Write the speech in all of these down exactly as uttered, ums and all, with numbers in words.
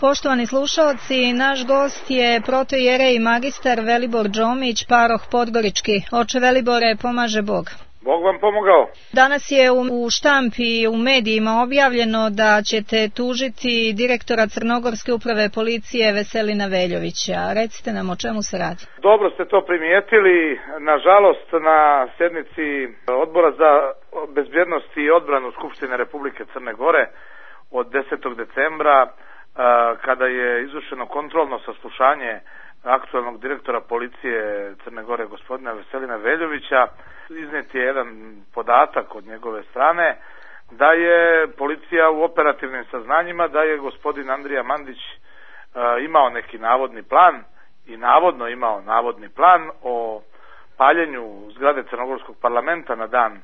Poštovani slušaoci, naš gost je protoijerej magistar Velibor Džomić, paroh Podgorički. Oče Velibore, pomaže Bog. Bog vam pomogao. Danas je u štampi i u medijima objavljeno da ćete tužiti direktora Crnogorske uprave policije Veselina Veljovića. Recite nam o čemu se radi. Dobro ste to primijetili. Nažalost, na sjednici Odbora za bezbjednost i odbranu Skupštine Republike Crne Gore od desetog decembra, kada je izvršeno kontrolno saslušanje aktualnog direktora policije Crne Gore gospodina Veselina Veljovića, iznijet je jedan podatak od njegove strane da je policija u operativnim saznanjima da je gospodin Andrija Mandić imao neki navodni plan i navodno imao navodni plan o paljenju zgrade Crnogorskog parlamenta na dan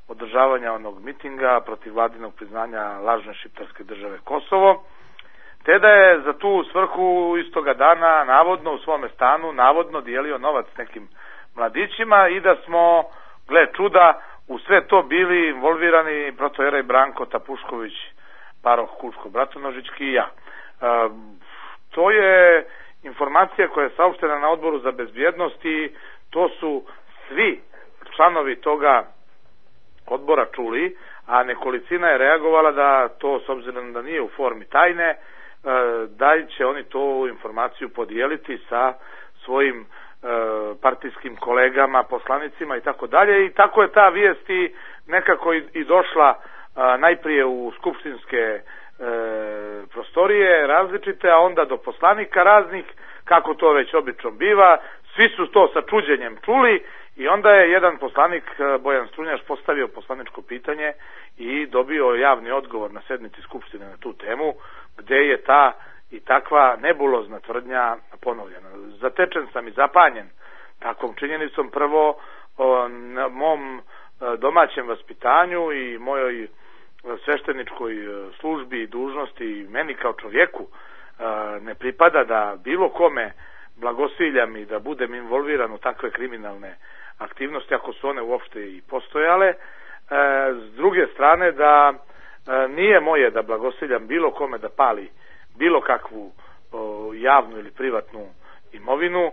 održavanja onog mitinga protiv vladinog priznanja lažne šiptarske države Kosovo, te da je za tu svrhu istoga dana navodno u svome stanu navodno dijelio novac nekim mladićima i da smo, gle čuda, u sve to bili involvirani protoijerej Branko Tapušković, paroh Kučko-Bratonožićki i ja. E, to je informacija koja je saopštena na Odboru za bezbjednost i to su svi članovi toga odbora čuli, a nekolicina je reagovala da to, s obzirom da nije u formi tajne, da će oni tu informaciju podijeliti sa svojim partijskim kolegama, poslanicima i tako dalje. I tako je ta vijest i nekako i došla najprije u skupštinske prostorije različite, a onda do poslanika raznih, kako to već obično biva. Svi su to sa čuđenjem čuli i onda je jedan poslanik, Bojan Strunjaš, postavio poslaničko pitanje i dobio javni odgovor na sednici skupštine na tu temu, gde je ta i takva nebulozna tvrdnja ponovljena. Zatečen sam i zapanjen takvom činjenicom, prvo o mom domaćem vaspitanju i mojoj svešteničkoj službi i dužnosti i meni kao čovjeku ne pripada da bilo kome blagosiljam i da budem involviran u takve kriminalne aktivnosti, ako su one uopšte i postojale. S druge strane, da nije moje da blagosiljam bilo kome da pali bilo kakvu javnu ili privatnu imovinu.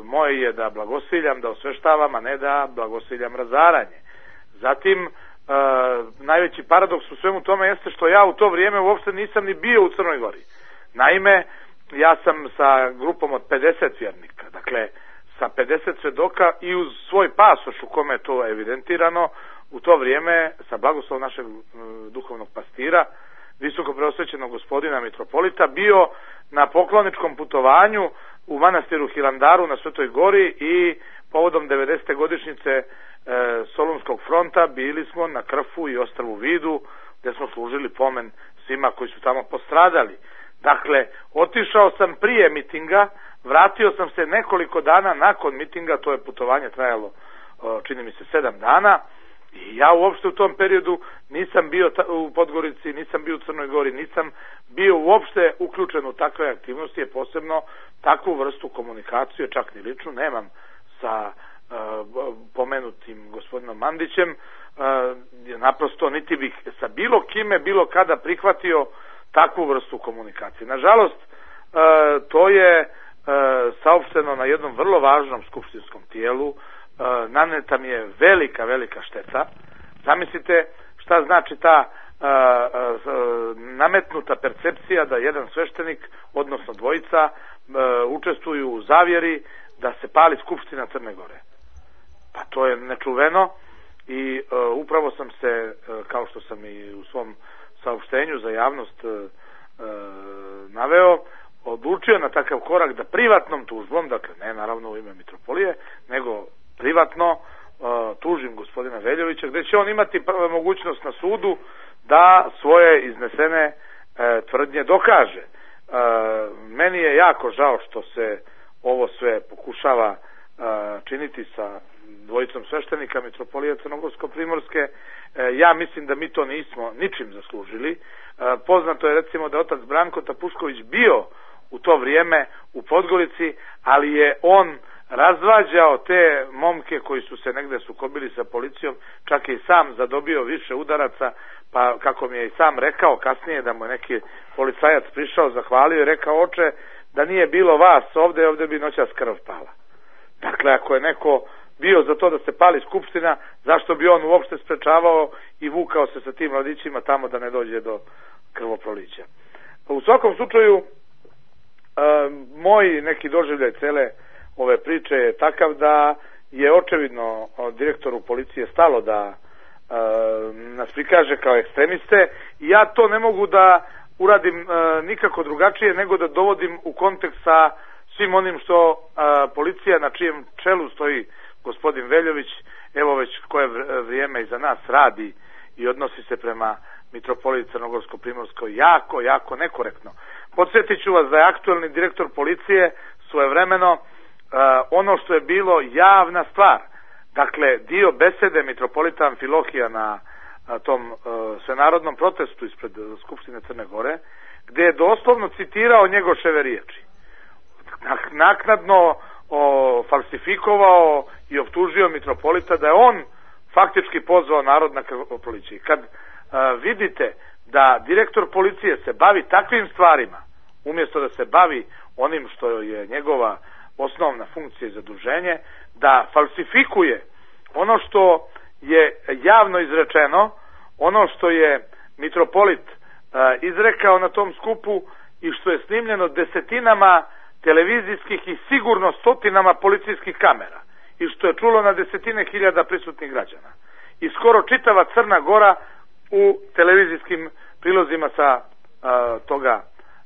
Moje je da blagosiljam, da osveštavam, a ne da blagosiljam razaranje. Zatim, najveći paradoks u svemu tome jeste što ja u to vrijeme uopšte nisam ni bio u Crnoj Gori. Naime, ja sam sa grupom od pedeset vjernika, dakle sa pedeset svedoka i uz svoj pasoš u kome je to evidentirano, u to vrijeme sa blagoslovom našeg duhovnog pastira, visoko preosvećenog gospodina mitropolita, bio na pokloničkom putovanju u manastiru Hilandaru na Svetoj Gori i povodom devedesete godišnjice e, Solunskog fronta bili smo na Krfu i Ostrvu Vidu, gdje smo služili pomen svima koji su tamo postradali. Dakle, otišao sam prije mitinga, vratio sam se nekoliko dana nakon mitinga, to je putovanje trajalo, čini mi se, sedam dana, i ja uopšte u tom periodu nisam bio u Podgorici, nisam bio u Crnoj Gori, nisam bio uopšte uključen u takve aktivnosti, je posebno takvu vrstu komunikacije, čak ni ličnu, nemam sa uh, pomenutim gospodinom Mandićem, uh, naprosto niti bih sa bilo kime, bilo kada prihvatio takvu vrstu komunikacije. Nažalost, uh, to je uh, saopšteno na jednom vrlo važnom skupštinskom tijelu, naneta mi je velika, velika šteta. Zamislite šta znači ta a, a, nametnuta percepcija da jedan sveštenik, odnosno dvojica, a, učestvuju u zavjeri da se pali Skupština Crne Gore. Pa to je nečuveno i a, upravo sam se, a, kao što sam i u svom saopštenju za javnost a, a, naveo, odlučio na takav korak da privatnom tužbom, dakle ne naravno u ime mitropolije, nego privatno uh, tužim gospodina Veljovića, gdje će on imati mogućnost na sudu da svoje iznesene uh, tvrdnje dokaže. Uh, meni je jako žao što se ovo sve pokušava uh, činiti sa dvojicom sveštenika mitropolije Crnogorsko-Primorske. Uh, ja mislim da mi to nismo ničim zaslužili. Uh, poznato je recimo da otac Branko Tapušković bio u to vrijeme u Podgorici, ali je on razvađao te momke koji su se negde sukobili sa policijom, čak je i sam zadobio više udaraca, pa kako mi je i sam rekao kasnije da mu je neki policajac prišao, zahvalio i rekao: oče, da nije bilo vas ovde, ovde bi noćas krv pala. Dakle, ako je neko bio za to da se pali skupština, zašto bi on uopšte sprečavao i vukao se sa tim mladićima tamo da ne dođe do krvoprolića. U svakom slučaju, e, moj neki doživljaj cele ove priče je takav da je očevidno direktoru policije stalo da e, nas prikaže kao ekstremiste, i ja to ne mogu da uradim e, nikako drugačije nego da dovodim u kontekst sa svim onim što e, policija, na čijem čelu stoji gospodin Veljović, evo već koje vrijeme iza nas radi i odnosi se prema mitropoliji Crnogorsko-Primorskoj jako, jako nekorektno. Podsjetit ću vas da je aktuelni direktor policije svojevremeno uh, ono što je bilo javna stvar, dakle dio besede mitropolita Amfilohija na uh, tom uh, svenarodnom protestu ispred uh, Skupštine Crne Gore, gde je doslovno citirao Njegoševe riječi. Naknadno o, falsifikovao i optužio mitropolita da je on faktički pozvao narod na krvoproliće. Kad a, vidite da direktor policije se bavi takvim stvarima, umjesto da se bavi onim što je njegova osnovna funkcija i zaduženje, da falsifikuje ono što je javno izrečeno, ono što je mitropolit a, izrekao na tom skupu i što je snimljeno desetinama televizijskih i sigurno stotinama policijskih kamera i što je čulo na desetine hiljada prisutnih građana i skoro čitava Crna Gora u televizijskim prilozima sa a, toga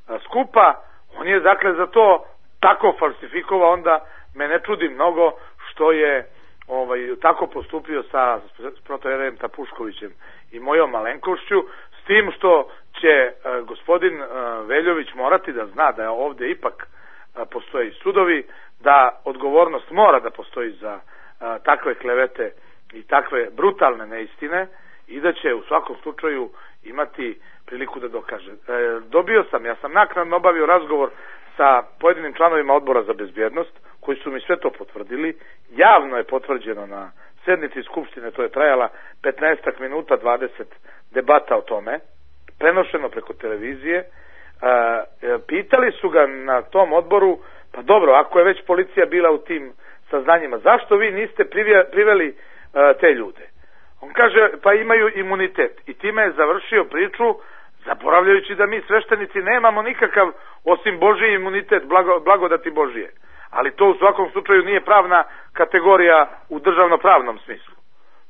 a, skupa, on je dakle za to tako falsifikovao, onda me ne čudi mnogo što je ovaj, tako postupio sa protojerejem Tapuškovićem i mojom malenkošću, s tim što će a, gospodin a, Veljović morati da zna da je ovde ipak postoje i sudovi, da odgovornost mora da postoji za a, takve klevete i takve brutalne neistine i da će u svakom slučaju imati priliku da dokaže. E, dobio sam, ja sam naknadno obavio razgovor sa pojedinim članovima odbora za bezbjednost, koji su mi sve to potvrdili. Javno je potvrđeno na sednici Skupštine, to je trajala petnaestak minuta, dvadeset debata o tome, prenošeno preko televizije. E, pitali su ga na tom odboru: pa dobro, ako je već policija bila u tim saznanjima, zašto vi niste priveli e, te ljude? On kaže: pa imaju imunitet. I time je završio priču, zaboravljajući da mi sveštenici nemamo nikakav osim Božji imunitet, blago, blagodati Božije. Ali to u svakom slučaju nije pravna kategorija u državno-pravnom smislu.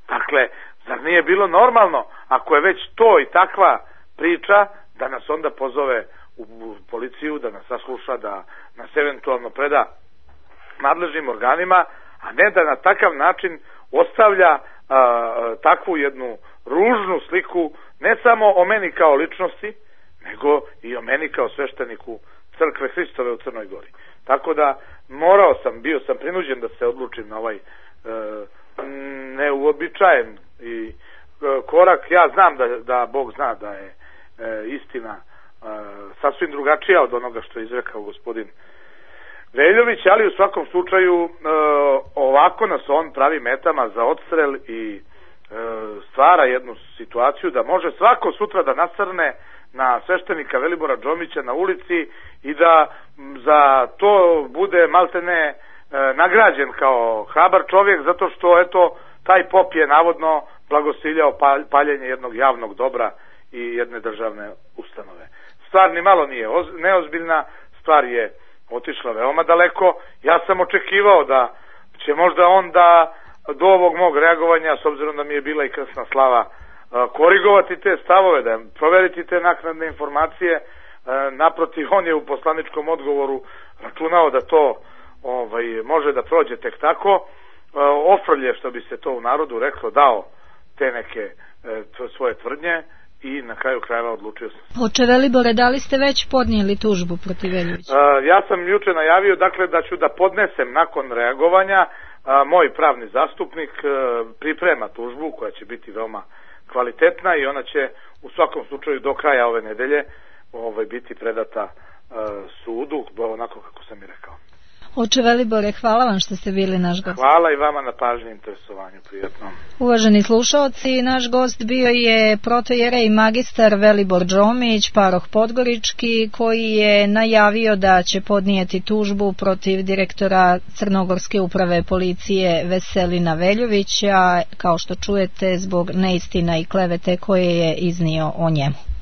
Dakle, zar nije bilo normalno, ako je već to i takva priča, da nas onda pozove u policiju, da nas sasluša, da nas eventualno preda nadležnim organima, a ne da na takav način ostavlja a, takvu jednu ružnu sliku, ne samo o meni kao ličnosti, nego i o meni kao svešteniku Crkve Hristove u Crnoj Gori. Tako da morao sam, bio sam prinuđen da se odlučim na ovaj e, neuobičajen i e, korak. Ja znam da, da Bog zna da je e, istina e, sasvim drugačija od onoga što je izrekao gospodin Veljović, ali u svakom slučaju e, ovako nas on pravi metama za odstrel i e, stvara jednu situaciju da može svako sutra da nasrne na sveštenika Velibora Džomića na ulici i da za to bude maltene e, nagrađen kao hrabar čovjek, zato što eto taj pop je navodno blagosiljao paljenje jednog javnog dobra i jedne državne ustanove. Stvar ni malo nije neozbiljna, stvar je otišla veoma daleko. Ja sam očekivao da će možda on da do ovog mog reagovanja, s obzirom da mi je bila i krsna slava, korigovati te stavove, da proveriti te naknadne informacije. Naprotiv, on je u poslaničkom odgovoru računao da to ovaj, može da prođe tek tako. Ofrlje, što bi se to u narodu reklo, dao te neke svoje tvrdnje i na kraju krajeva odlučio sam. Oče Velibore, da li ste već podnijeli tužbu protiv Veljovića? Ja sam juče najavio, dakle, da ću da podnesem nakon reagovanja. Moj pravni zastupnik priprema tužbu koja će biti veoma kvalitetna i ona će u svakom slučaju do kraja ove nedelje ovaj, biti predata uh, sudu, onako kako sam i rekao. Oče Velibore, hvala vam što ste bili naš gost. Hvala i vama na pažnji i interesovanju, prijetno. Uvaženi slušaoci, naš gost bio je protojerej magistar Velibor Džomić, paroh Podgorički, koji je najavio da će podnijeti tužbu protiv direktora Crnogorske uprave policije Veselina Veljovića, kao što čujete, zbog neistina i klevete koje je iznio o njemu.